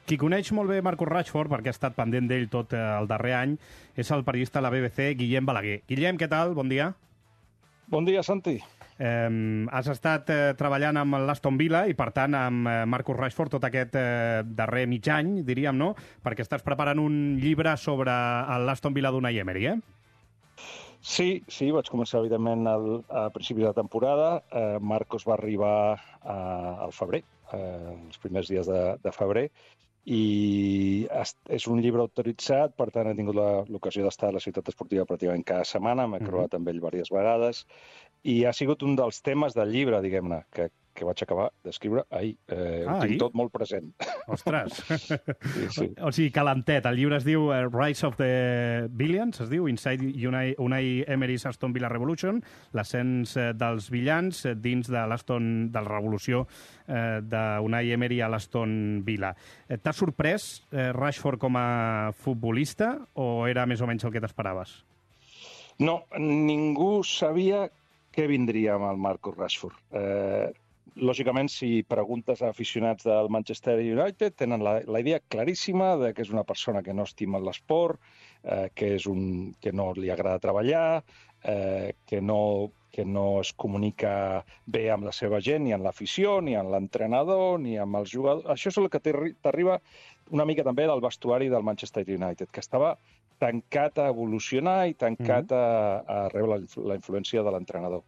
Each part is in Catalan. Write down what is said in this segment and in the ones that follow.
Qui coneix molt bé Marcus Rashford, perquè ha estat pendent d'ell tot el darrer any, és el periodista de la BBC, Guillem Balaguer. Guillem, què tal? Bon dia. Bon dia, Santi. Has estat treballant amb l'Aston Villa i, per tant, amb Marcus Rashford tot aquest darrer mig any, diríem, no? Perquè estàs preparant un llibre sobre l'Aston Villa d'Unai Emery, Sí, vaig començar, evidentment, a principis de temporada. Marcus va arribar al febrer, els primers dies de febrer, i és un llibre autoritzat, per tant, he tingut l'ocasió d'estar a la ciutat esportiva pràcticament cada setmana, m'he creuat amb ell diverses vegades, i ha sigut un dels temes del llibre, diguem-ne, que vaig acabar d'escriure ahir. Ho tinc tot molt present. Ostres! Sí. O sigui, calentet. El llibre es diu Rise of the Billions, es diu Inside Unai Emery's Aston Villa Revolution, l'ascens dels villans dins de la revolució d'Unai Emery a l'Aston Villa. T'ha sorprès Rashford com a futbolista o era més o menys el que t'esperaves? No, ningú sabia què vindria amb el Marcus Rashford. Lògicament, si preguntes a aficionats del Manchester United, tenen la idea claríssima de que és una persona que no estima l'esport, que no li agrada treballar, que no es comunica bé amb la seva gent, ni amb l'afició, ni amb l'entrenador, ni amb els jugadors. Això és el que t'arriba una mica també del vestuari del Manchester United, que estava tancat a evolucionar i tancat a rebre la influència de l'entrenador.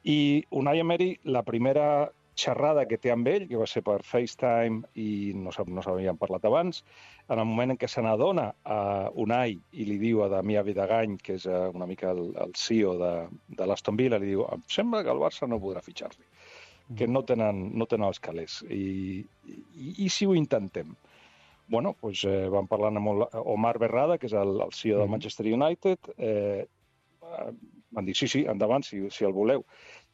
I Unai Emery, la primera xerrada que té amb ell, que va ser per FaceTime i no s'havien parlat abans, en el moment en què se n'adona a Unai i li diu a Damià Vidagany, que és una mica el CEO de l'Aston Villa, li diu: em sembla que el Barça no podrà fitxar-li, que no tenen els calés. I si ho intentem? Bueno, doncs vam parlar amb Omar Berrada, que és el CEO del Manchester United. Van dir, sí, endavant, si el voleu.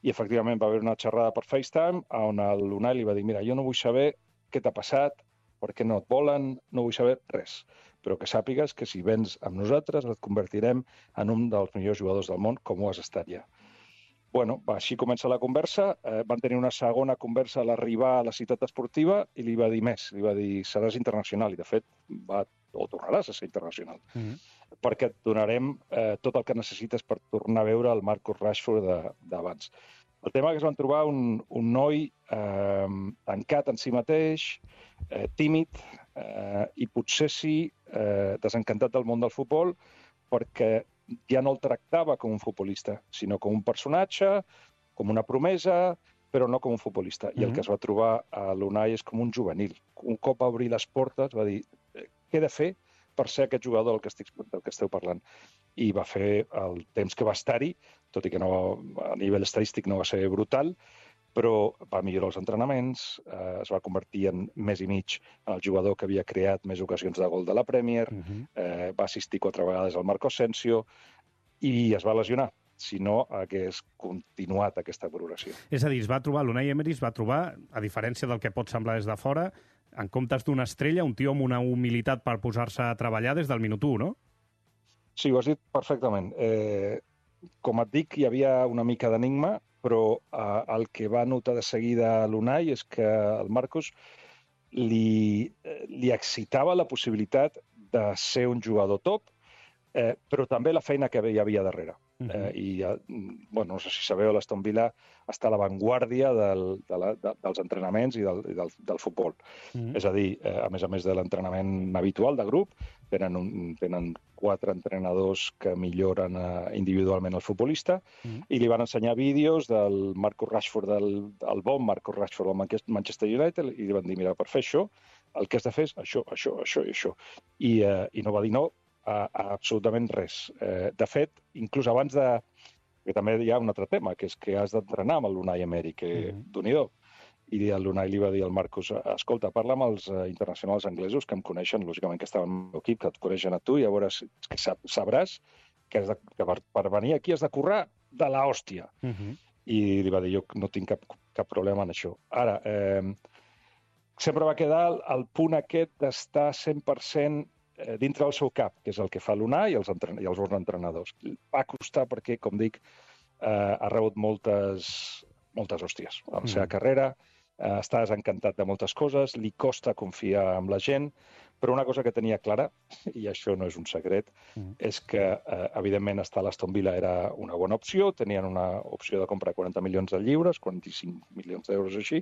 I, efectivament, va haver una xerrada per FaceTime on l'Unai li va dir: mira, jo no vull saber què t'ha passat, per què no et volen, no vull saber res. Però que sàpigues que si vens amb nosaltres et convertirem en un dels millors jugadors del món, com ho has estat ja. Bueno, així comença la conversa. Van tenir una segona conversa a l'arribar a la ciutat esportiva i li va dir més. Li va dir: seràs internacional. I, de fet, tornaràs a ser internacional. Perquè et donarem tot el que necessites per tornar a veure el Marcus Rashford d'abans. El tema que es van trobar un noi tancat en si mateix, tímid, i potser sí desencantat del món del futbol, perquè ja no el tractava com un futbolista, sinó com un personatge, com una promesa, però no com un futbolista. I el que es va trobar a l'Unai és com un juvenil. Un cop va obrir les portes, va dir: què he de fer per ser aquest jugador del que esteu parlant? I va fer el temps que va estar-hi, tot i que a nivell estadístic no va ser brutal, però va millorar els entrenaments, es va convertir en més i mig en el jugador que havia creat més ocasions de gol de la Premier, va assistir 4 vegades al Marco Asensio i es va lesionar. Si no, hagués continuat aquesta progressió. És a dir, l'Unai Emery es va trobar, a diferència del que pot semblar des de fora, en comptes d'una estrella, un tio amb una humilitat per posar-se a treballar des del minut 1, no? Sí, ho has dit perfectament. Com et dic, hi havia una mica d'enigma, però el que va notar de seguida l'Unai és que el Marcus li excitava la possibilitat de ser un jugador top, però també la feina que hi havia darrere. No sé si sabeu, l'Aston Villa està a l'avantguàrdia dels entrenaments i del futbol. És a dir, a més de l'entrenament habitual de grup, tenen 4 entrenadors que milloren individualment el futbolista i li van ensenyar vídeos del Marcus Rashford, del bon Marcus Rashford al Manchester United, i li van dir: mira, per fer això, el que has de fer és això, això, això i això. I no va dir no a absolutament res. De fet, inclús abans de... que també hi ha un altre tema, que és que has d'entrenar amb l'Unai Emery, que Déu-n'hi-do. I l'Unai li va dir al Marcus: escolta, parla amb els internacionals anglesos que em coneixen, lògicament que estaven al meu equip, que et coneixen a tu, i llavors sabràs que per venir aquí has de currar de l'hòstia. I li va dir: jo no tinc cap problema en això. Ara, sempre va quedar el punt aquest d'estar 100% dintre del seu cap, que és el que fa l'Unai i els bons entrenadors. Va costar perquè, com dic, ha rebut moltes hòsties a la seva carrera, està desencantat de moltes coses, li costa confiar en la gent, però una cosa que tenia clara, i això no és un secret, és que, evidentment, estar a l'Aston Villa era una bona opció, tenien una opció de compra de 40 milions de lliures, 45 milions d'euros així,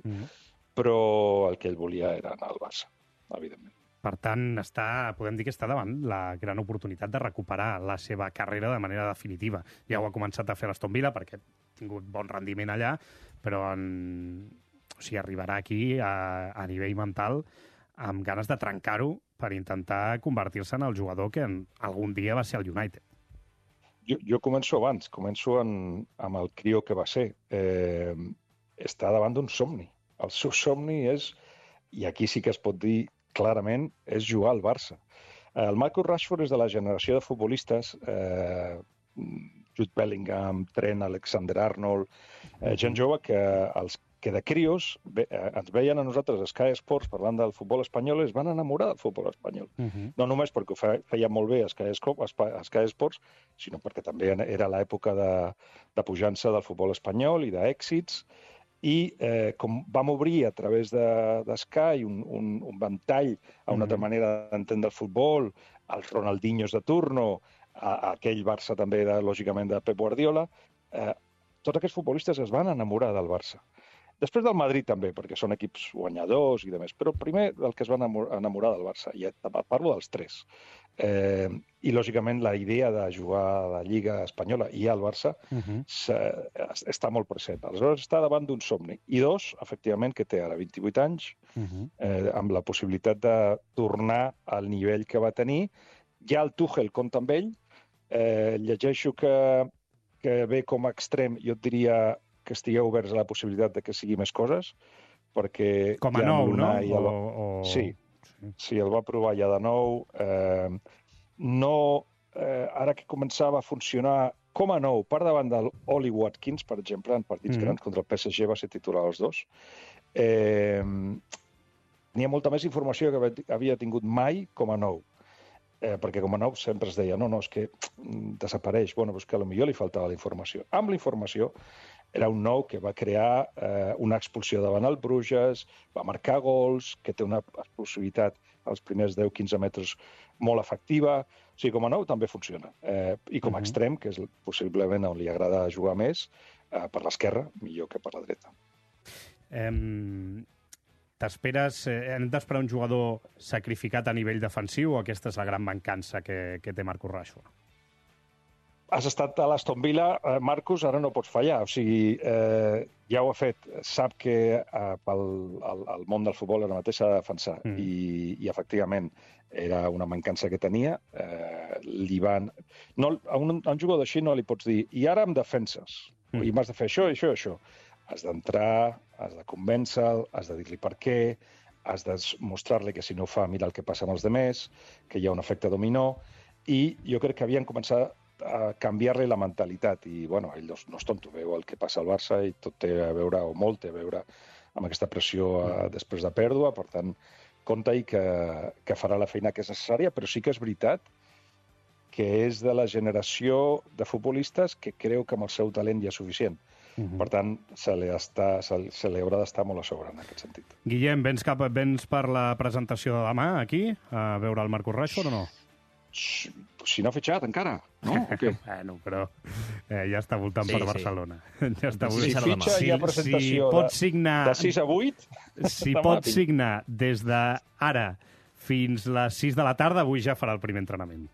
però el que ell volia era anar al Barça, evidentment. Per tant, podem dir que està davant la gran oportunitat de recuperar la seva carrera de manera definitiva. Ja ho ha començat a fer l'Aston Villa perquè ha tingut bon rendiment allà, però arribarà aquí a nivell mental amb ganes de trencar-ho per intentar convertir-se en el jugador que algun dia va ser el United. Jo començo abans, amb el crió que va ser. Està davant d'un somni. El seu somni és, i aquí sí que es pot dir clarament, és jugar al Barça. El Marcus Rashford és de la generació de futbolistes, Jude Bellingham, Trent, Alexander-Arnold, gent jove que de crios ens veien a nosaltres a Sky Sports parlant del futbol espanyol i es van enamorar del futbol espanyol. No només perquè ho feia molt bé a Sky Sports, sinó perquè també era l'època de pujança del futbol espanyol i d'èxits. I com vam obrir a través de Sky un ventall a una altra manera d'entendre el futbol, els Ronaldinhos de turno, aquell Barça també, lògicament, de Pep Guardiola, tots aquests futbolistes es van enamorar del Barça. Després del Madrid també, perquè són equips guanyadors i demés, però primer del que es van enamorar del Barça, i parlo dels tres. I, lògicament, la idea de jugar a la Lliga Espanyola i al Barça està molt present. Aleshores, està davant d'un somni. I dos, efectivament, que té ara 28 anys, amb la possibilitat de tornar al nivell que va tenir. Ja el Tuchel compta amb ell. Llegeixo que ve com a extrem, jo et diria que estigueu oberts a la possibilitat de que sigui més coses, perquè... Com a nou, no? Sí, el va provar ja de nou. Ara que començava a funcionar com a nou, per davant del Oli Watkins, per exemple, en partits grans contra el PSG va ser titular els dos, n'hi ha molta més informació que havia tingut mai com a nou. Perquè com a nou sempre es deia, no, és que desapareix. Bueno, és que potser li faltava la informació. Amb la informació era un nou que va crear una expulsió davant el Bruges, va marcar gols, que té una explosivitat als primers 10-15 metres molt efectiva. O sigui, com a nou també funciona. I com a extrem, que és possiblement on li agrada jugar més, per l'esquerra, millor que per la dreta. Hem d'esperar un jugador sacrificat a nivell defensiu o aquesta és la gran mancança que té Marcus Rashford? Has estat a l'Aston Villa, Marcus, ara no pots fallar. O sigui, ja ho ha fet. Sap que el món del futbol ara mateix s'ha de defensar. I efectivament, era una mancança que tenia. A un jugador així no li pots dir i ara em defenses, i m'has de fer això, això i això. Has d'entrar, has de convèncer-lo, has de dir-li per què, has de mostrar-li que si no ho fa, mira el que passa amb els demés, que hi ha un efecte dominó, i jo crec que havien començat a canviar-li la mentalitat. I, bueno, ell no és tonto, veu el que passa al Barça i tot té a veure, o molt té a veure, amb aquesta pressió després de pèrdua. Per tant, compta-hi que farà la feina que és necessària, però sí que és veritat que és de la generació de futbolistes que creu que amb el seu talent ja és suficient. Per tant, se li haurà d'estar molt a sobre en aquest sentit. Guillem, vens per la presentació de demà aquí, a veure el Marcus Rashford o no? Si no ha fitxat encara, no? Bueno, però ja està voltant per Barcelona. Si fitxa hi ha presentació de 6 a 8. Si pot signar des d'ara fins les 6 de la tarda, avui ja farà el primer entrenament.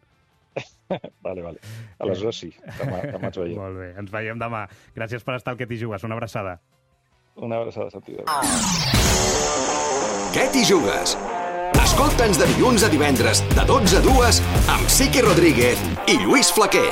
Vale. Aleshores sí, demà ens veiem. Molt bé, ens veiem demà. Gràcies per estar al Que t'hi jugues. Una abraçada. Una abraçada, Santi. Que t'hi jugues? Escolta'ns de dilluns a divendres, de 12 a 2, amb Sique Rodríguez i Lluís Flaquer.